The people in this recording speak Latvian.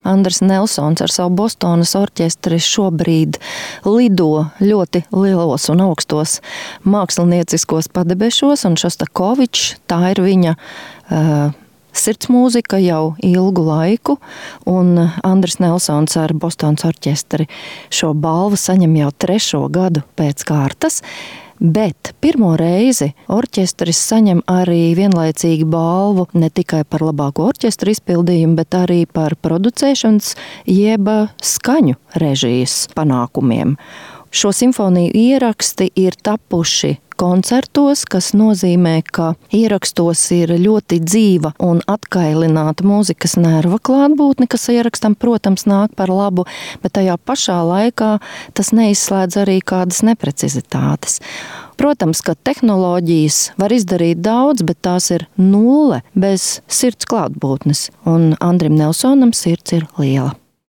Andris Nelsons ar savu Bostonas orķestri šobrīd lido ļoti lielos un augstos mākslinieciskos padebešos, un Šostakovičs, tā ir viņa sirds mūzika jau ilgu laiku, un Andris Nelsons ar Bostonas orķestri šo balvu saņem jau 3. gadu pēc kārtas, bet pirmo reizi orķestris saņem arī vienlaicīgi balvu ne tikai par labāko orķestra izpildījumu, bet arī par producēšanas jeb skaņu režijas panākumiem. Šo simfoniju ieraksti ir tapuši koncertos, kas nozīmē, ka ierakstos ir ļoti dzīva un atkailināta mūzikas nerva klātbūtne, kas ierakstam, protams, nāk par labu, bet tajā pašā laikā tas neizslēdz arī kādas neprecizitātes. Protams, ka tehnoloģijas var izdarīt daudz, bet tās ir nulle bez sirds klātbūtnes, un Andrim Nelsonam sirds ir liela.